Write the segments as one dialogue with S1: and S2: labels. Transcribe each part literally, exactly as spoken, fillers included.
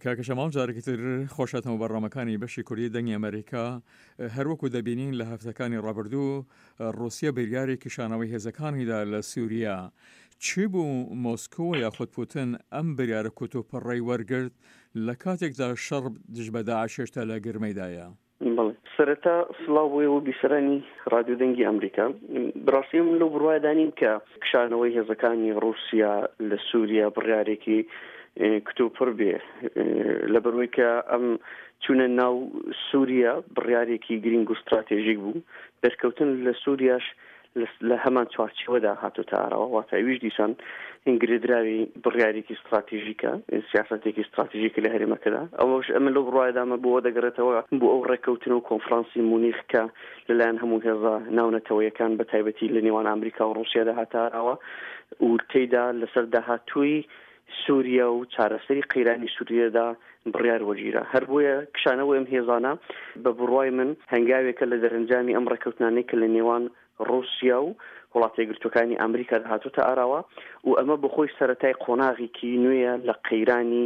S1: کاکە شەماڵ جارێکی تر خۆشهاتنەوە بەرنامەکانی بەشی کوردی دەنگی ئەمریکا. هەروەکو دەبینین لە هەفتەکانی ڕابردوو ڕوسیا بریاری کشانەوەی هێزەکانیدا لە سوریا. چی بوو مۆسکۆ یاخود پوتن ئەم بریارە کوتوپڕەی وەرگرت لە کاتێکدا شەڕ دژ بە داعش هێشتا لە گرمەیدایە؟
S2: بەڵێ، سەرەتا سڵاو بۆ ئێوە بیسەرانی ڕادیۆ دەنگی ئەمریکا. بەڕاستی من لەو بڕوایەدا نیم کە کشانەوەی هێزەکانی ڕووسیا لە سووریا بڕیارێکی کتوپڕ بێ، لەبەرەوەی کە ئەم چوونە ناو سووریا بڕیارێکی گرینگ و ستراتێژیک بوو. دەرکەوتن لە سووریاش لە هەمان چوارچێوەدا هاتۆتە ئاراوە، واتە ئەویش دیسان گرێدراوی بڕیارێکی ستراتیژیکە، سیاسەتێکی ستراتیژیکە لە هەرێمەکەدا. ئەوەش ئەمە لەو بڕوایەدامە بۆ دەگەڕێتەوە بۆ ئەو ڕێککەوتن و کۆنفرانسی مونیخ کە لەلایەن هەموو هێزە ناونەتەوەیەکان بە تایبەتی لە نێوان ئەمریکا و ڕووسیادا هاتە ئاراوە و تێیدا لەسەر داهاتووی سووریا و چارەسەری قەیرانی سووریادا بڕیار وەگیرا. هەر بۆیە کشانەوەی ئەم هێزانە بە بڕوای من هەنگاوێکە لە دەرەنجامی ئەم ڕێککەوتنانەی کە لە نێوان ڕووسیا و وڵاتە یەکگرتووەکانی ئەمریکادا هاتۆتە ئاراوە و ئەمە بۆ خۆی سەرەتای قۆناغێکی نوێیە لە قەیرانی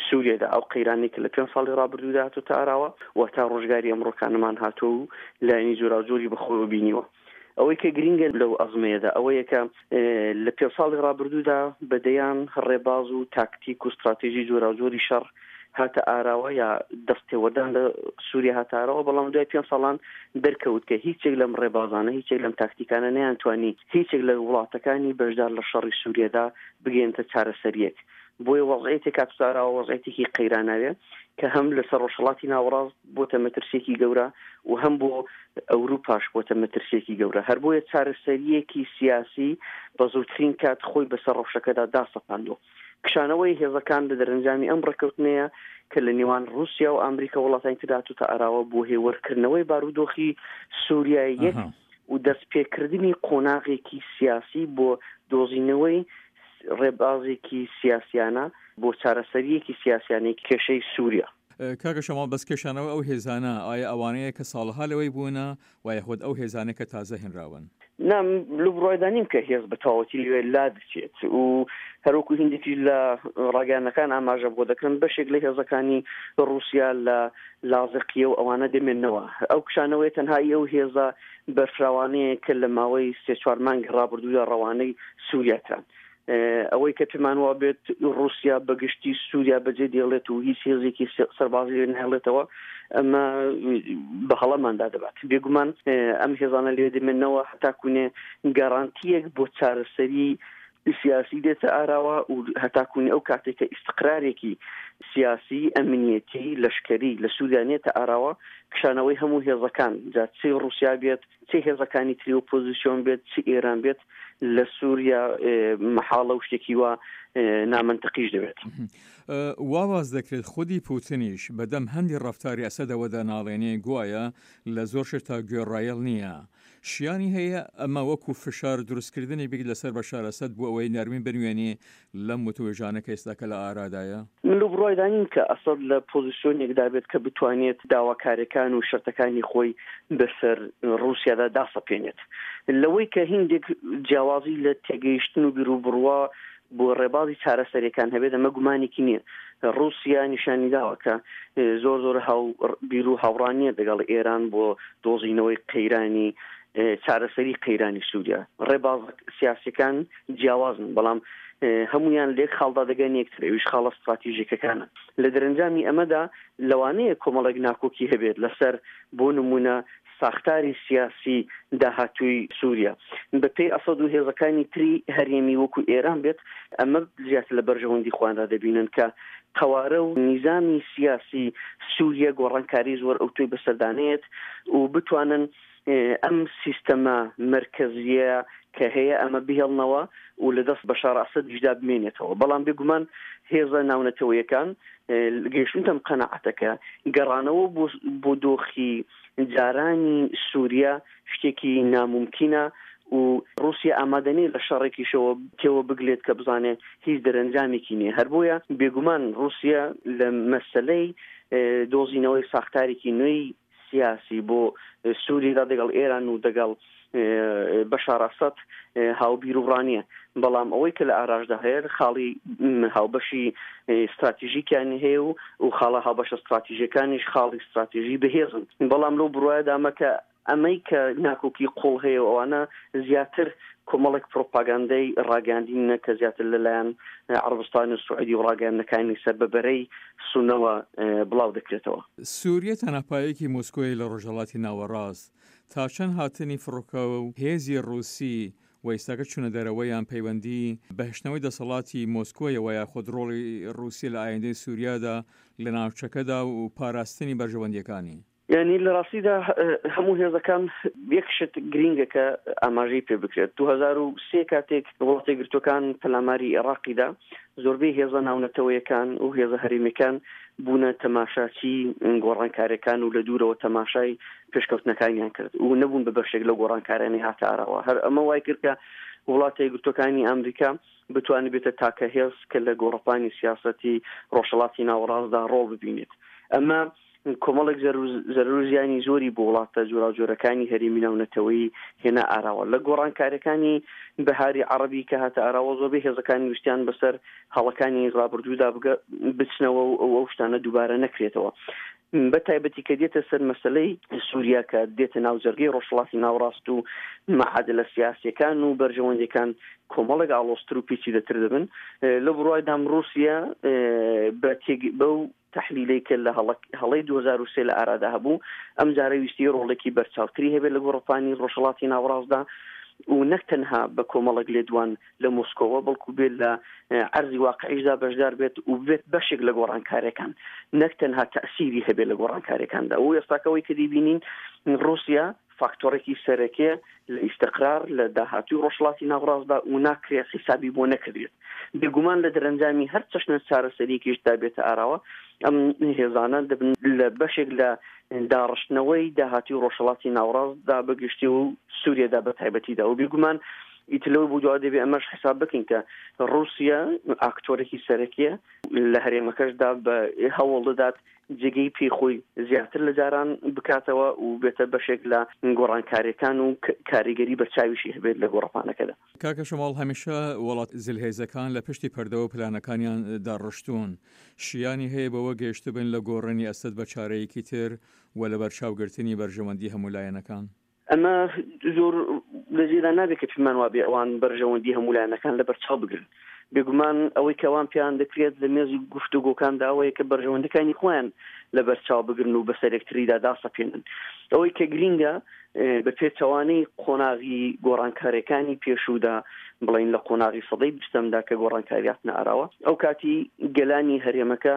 S2: سووریادا، ئەو قەیرانەی کە لە پێنج ساڵی ڕابردوودا هاتۆتە ئاراوە و تا ڕۆژگاری ئەمڕۆکانمان هاتووە و لایەنی جۆراوجۆری بەخۆیەوە بینیوە. ئەوەی کە گرینگە لەو ئەزمەیەدا ئەوەیە کە لە پێنج ساڵی ڕابردوودا بە دەیان ڕێباز و تاکتیک و ستراتێژی جۆراوجۆری شەڕ هاتە ئاراوە یا دەستێوەردان لە سووریا هاتە ئاراوە، بەڵام دوای پێنج ساڵان دەرکەوت کە هیچێک لەم ڕێبازانە، هیچێک لەم تاکتیکانە نەیانتوانی هیچێک لە وڵاتەکانی بەشدار لە شەڕی سووریادا بگەێنتە چارەسەریەک. بۆیە وەزعیەتێک هاتووتە ئاراوە، وەزعیەتێکی قەیراناوێ کە هەم لەسەر ڕۆژهەڵاتی ناوەڕاست بۆتە مەترسیەکی گەورە و هەم بۆ ئەوروپاش بۆتە مەترسیەکی گەورە. هەر بۆیە چارەسەریەکی سیاسی بە زووترین کات خۆی بەسەر ڕەوشەکەدا داسەپاندووە. کشانەوەی هێزەکان لە دەرەنجامی ئەم ڕێککەوتنەیە کە لە نێوان ڕووسیا و ئەمریکا وڵاتانی تردا هاتووتە ئاراوە بۆ هێوەرکردنەوەی بارودۆخی سووریای یەک و دەستپێکردنی قۆناغێکی سیاسی بۆ دۆزینەوەی ڕێبازێکی سیاسیانە بۆ چارەسەریەکی سیاسیانەی کێشەی سووریا.
S1: کاکە شەماڵ، بەس کێشانەوە ئەو هێزانە ئایا ئەوانەیە کە ساڵەها لەوەی بوونە و یاخود ئەو هێزانەی کە تازە هێنراون؟
S2: نا، لەو بڕوایدا نیم کە هێز بە تەواوەتی لەوێ لا دەچێت و هەروەکو هیندێکیش لە ڕاگەیاندنەکان ئاماژە بۆ دەکەن بەشێک لە هێزەکانی ڕووسیا لە لازقیە و ئەوانە دەمێنەوە. ئەو کشانەوەی تەنها ئەو هێزە بەرفراوانەیە کە لە ماوەی سێ چوار مانگی ڕابردوودا ڕەوانەی سووریا کران. ئەوەی کە پێمان وا بێت ڕووسیا بەگشتی سووریا بەجێ دێڵێت و هیچ هێزێکی سەربازی لێ ناهێڵێتەوە، ئەمە بە هەڵەماندا دەبات. بێگومان ئەم هێزانە لێ دەمێنەوە هەتاکوونێ گەرانتیەک بۆ چارەسەری سیاسی دێتە ئاراوە و هەتاکوونی ئەو کاتێک کە ئیستقرارێکی سیاسی، ئەمنیەتی، لەشکەری لە سووریا نێتە ئاراوە، کشانەوەی هەموو هێزەکان، جا چی ڕووسیا بێت، چی هێزەکانی تری ئۆپۆزیسیۆن بێت، چی ئێران بێت، لە سووریا مەحاڵە و شتێکی وا نامەنتقیش دەبێت.
S1: وا باس دەکرێت خودی پوتنیش بەدەم هەندی ڕەفتاری ئەسەدەوە دەناڵێنێ، گوایە لە زۆر شت تا گوێڕایەڵ نییە. شیانی هەیە ئەمە وەکو فشار دروستکردنی بیت لەسەر بەشار ئەسەد بۆ ئەوەی نەرمی بنوێنێ لەم وتوێژانە کە ئێستاکە لە ئارادایە؟
S2: من لەو بڕوایدا نیم کە ئەسەد لە پۆزیسیۆنێکدا بێت کە بتوانێت داواکاریەکان و شەرتەکانی خۆی بەسەر ڕووسیادا داسەپێنێت. لەوەی کە هیندێک جیاوازی لە تێگەیشتن و بیروبڕوا بۆ ڕێبازی چارەسەریەکان هەبێت، ئەمە گومانێکی نییە. ڕووسیا نیشانی داوە کە زۆر زۆر هاو بیر و هاوڕانیە لەگەڵ ئێران بۆ دۆزینەوەی قەیرانی چارەسەری قەیرانی سووریا. ڕێباز سیاسیەکان جیاوازن، بەڵام هەمویان لێک خاڵدا دەگەن یەکتر، ئەویش خاڵە ستراتیژیکەکانە. لە دەرەنجامی ئەمەدا لەوانەیە کۆمەڵێک ناکۆکی هەبێت لەسەر بۆ نمونە ساختاری سیاسی داهاتووی سووریا بە پێی ئەسەد و هێزەکانی تری هەرێمی وەکو ئێران بێت. ئەمە زیاتر لە بەرژەوەندی خۆیاندا دەبینن کە قەوارە و نیزامی سیاسی سووریا گۆڕانکاری زۆر ئەوتۆی بەسەردانێت و بتوانن ئەم سیستەمە مەرکەزیە کە هەیە ئەمە بهێڵنەوە و لە دەست بەشار ئەسەدیشدا بمێنێتەوە. بەڵام بێگومان هێزە ناونەتەوەیەکان گەیشتونتەم قەناعەتەکە گەڕانەوە بۆ دۆخی جارانی سووریا شتێکی ناممکنە و ڕووسیا ئامادە نییە لە شەڕێکیشەوە تێوە بگلێت کە بزانێت هیچ دەرەنجامێکی نییە. هەر بۆیە بێگومان ڕووسیا لە مەسەلەی دۆزینەوەی ساختارێکی نوێی سیاسی بۆ سووریدا دەگەڵ ئێران و دەگەڵ بەشار ئەسەد هاوبیر و ڕانیە، بەڵام ئەوەی کە لە ئاراشدا هەیە خاڵی هاوبەشی استراتیژیکیان هەیە و و خاڵە هاوبەشە استراتیژیەکانیش خاڵی استراتیژی بەهێزن. بەڵام لەو بڕوایەدامە کە ئەمەی کە ناکۆکی قوڵ هەیە و ئەوانە زیاتر کۆمەڵێک پرۆپاگاندەی ڕاگەاندینە کە زیاتر لەلایەن عەرەبستان و سعودی و ڕاگەیاندنەکانی سەر بە بەرەی سونەوە بڵاو دەکرێتەوە.
S1: سووریە تەناپایەکی مۆسکۆی لە ڕۆژهەڵاتی ناوەڕاست تا چەند هاتنی فڕۆکە و هێزی ڕووسی و ئێستاکە چوونە دەرەوەیان پەیوەندی بەهشتنەوەی دەسەڵاتی مۆسکۆیەوە یاخود ڕۆڵی ڕووسیە لە ئایندەی سووریادا لە ناوچەکەدا و پاراستنی بەرژەوەندیەکانی؟
S2: یعنی لە ڕاستیدا هەموو هێزەکان یەک شت گرینگە کە ئاماژەی پێ بکرێت. دوو هەزار و سێ کاتێک وڵاتە یەکگرتووەکان پەلاماری عێراقیدا زۆربەی هێزە ناونەتەوەیەکان و هێزە هەرێمیەکان بوونە تەماشاچی گۆڕانکاریەکان و لە دوورەوە تەماشای پێشکەوتنەکانیان کرد و نەبوون بە بەشێک لەو گۆڕانکاریانەی هاتە ئاراوە. هەر ئەمە وای کرد کە وڵاتە یەکگرتووەکانی ئەمریکا بتوانێت بێتە تاکە هێز کە لە گۆڕەپانی سیاسەتی ڕۆژهەڵاتی ناوەڕاستدا ڕۆڵ ببینێت. ئەمە کۆمەڵێک زەرەر و زیانی زۆری بۆ وڵاتە جۆراوجۆرەکانی هەرێمی ناونەتەوەیی هێنا ئاراوە. لە گۆڕانکاریەکانی بەهاری عەرەبی کە هاتە ئاراوە زۆربەی هێزەکانی ویستیان بەسەر هەڵەکانی ڕابردوودا بچنەوە و ئەو شتانە دووبارە نەکرێتەوە. بە تایبەتی کە دێتە سەر مەسلەی سووریا کە دێتە ناو جەرگەی ڕۆژهەڵاتی ناوەڕاست و معادلە سیاسیەکان و بەرژەوەندیەکان کۆمەڵێک ئاڵۆزتر و پیچیدەتر دەبن. لە بڕوایدام ڕووسیا بەو تحلیلەی کە لە هەڵەی دوو هەزار و سێ لە ئارادا هەبوو ئەم جارە ویستی ڕۆڵێکی بەرچاوتری هەبێت لە گۆڕەپانی ڕۆژهەڵاتی ناوەڕاستدا و نەک تەنها بە کۆمەڵێک لێدوان لە مۆسکۆوە بەڵکو بێت لە عەرزی واقعیشدا بەشدار بێت و بێت بەشێک لە گۆڕانکاریەکان، نەک تەنها تەئسیری هەبێت لە گۆڕانکاریەکاندا. و ئێستاکەەوەی کە دەیبینین ڕووسیا فاکتۆرێکی سەرەکیە لە ئیستقرار لە داهاتوی ڕۆژهەڵاتی ناوەڕاستدا و ناکرێت حیسابی بۆ نەکردێت. بێگومان لە دەرەنجامی هەر چەشنە چارەسەریەکیشدا بێتە ئاراوە ئەم هێزانە دەبن لە بەشێک لە داڕشتنەوەی داهاتوی ڕۆژهەڵاتی ناوەڕاستدا بەگشتی و سووریادا بە تایبەتیدا. و بێگومان ئیتر لەوە بۆ دوا دەبێ ئەمەش حساب بکەین کە ڕووسیا ئاکتۆرێکی سەرەکیە لە هەرێمەکەشدا بە هەوڵ دەدات جێگەی پێی خۆی زیاتر لە جاران بکاتەوە و بێتە بەشێک لە گۆڕانکاریەکان و کاریگەری بەرچاویشی هەبێت لە گۆڕەپانەکەدا.
S1: کاکە شەماڵ، هەمیشە وڵات زلهێزەکان لە پشتی پەردەوە پلانەکانیان داڕشتوون، شیانی هەیە بەوە گەیشتبن لە گۆڕینی ئەسەد بە چارەیەکی تر و لە بەرچاوگرتنی بەرژەوەندی هەموو لایەنەکان؟
S2: ئەمە زۆر لە جێدا نابێت کە پێمان وابێ ئەوان بەرژەوەندی هەموو لایەنەکان لە بەرچاو بگرن. بێگومان ئەوەی کە ئەوان پێیان دەکرێت لە مێزی گفتوگۆکاندا ئەوەیە کە بەرژەوەندەکانی خۆیان لە بەرچاو بگرن و بەسەر یەکتریدا داسەپێنن. ئەوەی کە گرینگە بە پێچەوانەی قۆناغی گۆڕانکاریەکانی پێشوودا، بڵین لە قۆناغی سەدەی بیستەمدا کە گۆڕانکاریاتنە ئاراوە، ئەو کاتی گەلانی هەرێمەکە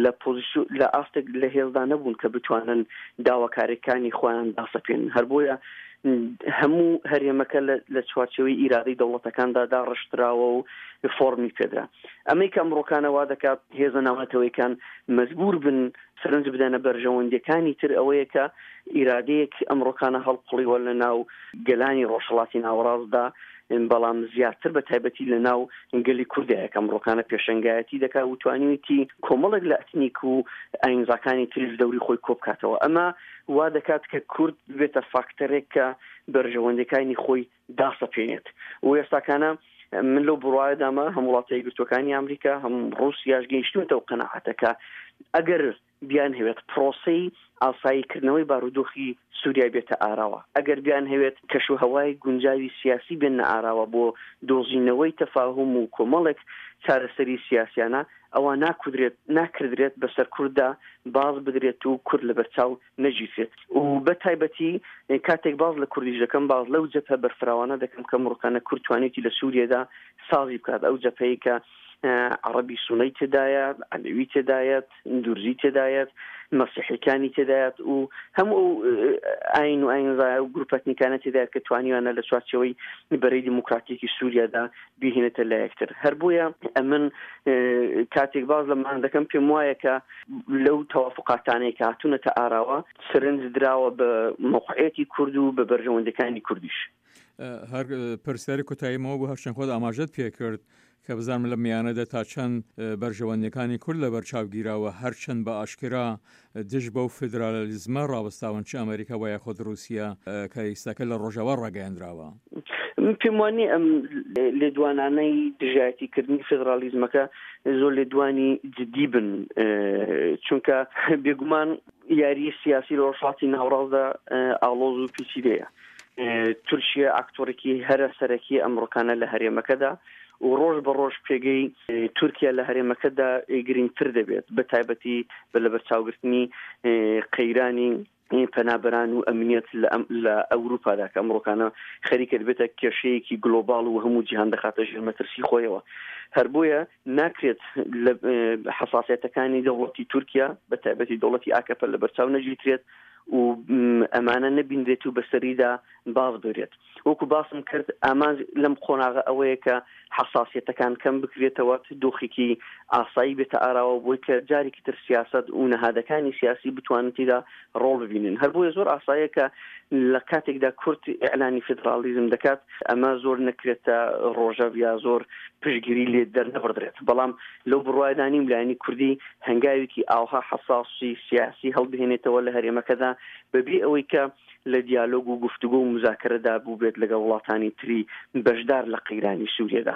S2: لە پۆزیسیۆن لە ئاستێک لە هێزدا نەبوون کە بتوانن داواکاریەکانی خۆیان داسەپێنن. هەر بۆیە هەموو هەرێمەکە لە چوارچێوەی ئیرادەی دەوڵەتەکاندا داڕشتراوە و فۆرمی پێدرا. ئەمەی کە ئەمڕۆکانە وا دەکات هێزە ناونەتەوەیەکان مەجبور بن سەرنج بدەنە بەرژەوەندیەکانی تر ئەوەیە کە ئیرادەیەک ئەمڕۆکانە هەڵقوڵیوە لە ناو گەلانی ڕۆژهەڵاتی ناوەڕاستدا، بەڵام زیاتر بە تایبەتی لە ناو گەلی کوردایە کە ئەمڕۆکانە پێشەنگایەتی دەکات و توانیویەتی کۆمەڵێک لە ئەتنیک و ئاینزاکانی تریش دەوری خۆی کۆ بکاتەوە. ئەمە وا دەکات کە کورد بێتە فاکتەرێک کە بەرژەوەندەکانی خۆی داسەپێنێت. و ئێستاکانە من لەو بڕوایەدامە هەم وڵاتە یەکگرتووەکانی ئەمریکا هەم ڕووسیاش گەیشتوونەتەوە قەناعەتەکە ئەگەر بیان هەوێت پرۆسەی ئاساییکردنەوەی بارودۆخی سووریا بێتە ئاراوە، ئەگەر بیان هەوێت کەش و هەوای گونجاوی سیاسی بێنە ئاراوە بۆ دۆزینەوەی تەفاهوم و کۆمەڵێک چارەسەری سیاسیانە، ئەوە ناکودرێت ناکردرێت بەسەر کورددا باز بدرێت و کورد لەبەرچاو نەگیرێت. و بە تایبەتی کاتێک باز لە کوردیش دەکەم، باز لەو جەپە بەرفراوانە دەکەم کە مڕۆکانە کورد توانێتی لە سووریادا سازی بکات. ئەو جەپەیە کە عەرەبی سونەی تێدایە، عەلەوی تێدایەت، دورزی تێدایەت، مەسیحیەکانی تێدایەت و هەموو ئەو ئاین و ئاینزای و گروپە ئەتنیکانە تێدایەت کە توانیوانە لە چوارچێوەی بەرەی دیموکراتیکی سووریادا بیهێنێتە لە یەکتر. هەر بۆیە ئەمن کاتێک باز لەمان دەکەم پێم وایە کە لەو تەوافقاتانەی کە هاتوونەتە ئاراوە سەرنج دراوە بە مەوقعیەتی کورد و بە بەرژەوەندەکانی کوردیش.
S1: هەر پرسیاری کۆتاییمەوە بۆ هەرچەند خۆت ئاماژەت پێکرد کە بزانم لەم میانەدا تا چەند بەرژەوەندیەکانی کورد لەبەر چاو گیراوە، هەرچەند بە ئاشکرا دژ بەو فیدرالیزمە ڕاوەستاون چ ئەمریکا وە یاخود ڕووسیە کە ئیستاکە لە ڕۆژاوا ڕاگەیەندراوە.
S2: من پێم وا نییە ئەم لێدوانانەی دژایەتی کردنی فیدرالیزمەکە زۆر لێدوانی جدی بن، چونکە بێگومان یاری سیاسی لە ڕۆژهەڵاتی ناوەڕاستدا ئاڵۆز و پیچیدەیە. تورکیا ئاکتۆرێکی هەرە سەرەکی ئەمڕۆکانە لە هەرێمەکەدا و ڕۆژ بە ڕۆژ پێگەی تورکیا لە هەرێمەکەدا گرنگتر دەبێت، بە تایبەتی بە لەبەرچاوگرتنی قەیرانی پەنابەران و ئەمنیەت لە ئەوروپادا کە ئەمڕۆکانە خەریکە دەبێتە کێشەیەکی گلۆباڵ و هەموو جیهان دەخاتە ژێر مەترسی خۆیەوە. هەر بۆیە ناکرێت لە حەساسیەتەکانی دەوڵەتی تورکیا بە تایبەتی دەوڵەتی ئاکەپە لەبەرچاو نەگیرێت و ئەمانە نەبینرێت و بەسەریدا باز برێت. وەکو باسم کرد ئامانج لەم قۆناغە ئەوەیە کە حەساسیەتەکان کەم بکرێتەوە، دۆخێکی ئاسایی بێتە ئاراوە بۆی کە جارێکی تر سیاسەت و نەهادەکانی سیاسی بتوانن تێدا ڕۆڵ ببینن. هەر بۆیە زۆر ئاساییە کە لە کاتێکدا کورد ئیعلانی فیدراڵیزم دەکات ئەمە زۆر نەکرێتە ڕۆژەڤ یا زۆر پشتگیری لێ دەرنەبڕدرێت، بەڵام لەو بڕوایەدا نیم لایەنی کوردی هەنگاوێکی ئاوها حەساسی سیاسی هەڵبهێنێتەوە لە هەرێمەکەدا بەبێ ئەوەی کە لە دیالۆگ و گفتوگۆ و مزاکەرەدا بووبێت لەگەڵ وڵاتانی تری بەشدار لە قەیرانی سووریەدا.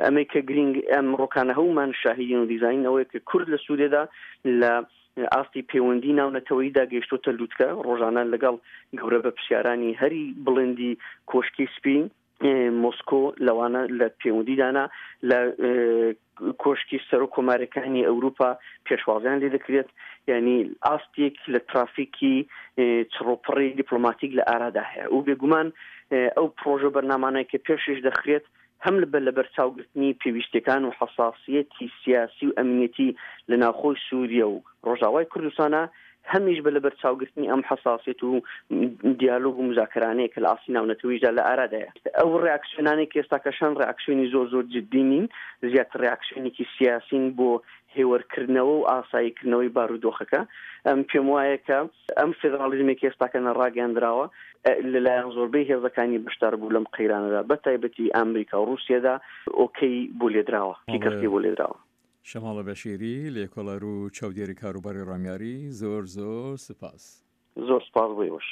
S2: ئەمەی کە گرینگ ئەمڕۆکانە هەموومان شاهیدین و دیزاین ئەوەیە کە کورد لە سووریەدا لە ئاستی پەیوەندی ناونەتەوەییدا گەیشتۆتە لوتکە، ڕۆژانە لەگەڵ گەورە بەرپرسیارانی هەری بڵندی کۆشکی سپی مۆسکۆ لەوانە لە پەیوەندیدانە لە کۆشکی سەرۆک کۆمارەکانی ئەوروپا پێشوازیان لێ دەکرێت، یعنی ئاستێک لە ترافیکی چڕۆپڕی دیپلۆماتیک لە ئارادا هەیە و بێگومان ئەو پرۆژە بەرنامانەی کە پێشش دەخرێت هەم لە لەبەرچاوگرتنی پێویستیەکان و حەساسیەتی سیاسی و ئەمنیەتی لە ناوخۆی سووریە و ڕۆژاوای کوردستانە، هەمیش بە لەبەرچاوگرتنی ئەم حەساسیەت و دیالۆگ و مزاکرانەیە کە لە ئاستی ناونەتەوەیشدا لە ئارادایە. ئەو ڕێاکسیۆنانەی کە ئێستاکەشان ڕێاکسیۆنی زۆر زۆر جدی نین، زیاتر ڕێاکسیۆنێکی سیاسین بۆ هێوەرکردنەوە و ئاساییکردنەوەی بارودۆخەکە. ئەم پێم وایە کە ئەم فێدراڵیزمێک ئێستاکە نەڕاگەیاندراوە لەلایەن زۆربەی هێزەکانی بەشدار بوو لەم قەیرانەدا، بە تایبەتی ئەمریکا و ڕووسیەدا ئۆکەی بۆ لێدراوە، کەسی بۆ لێدراوە.
S1: شەماڵە بەشیری، لێکۆڵەر و چاودێری کاروباری ڕامیاری، زۆر زۆر سپاس.
S2: زۆر سپاس بۆ ئێوەش.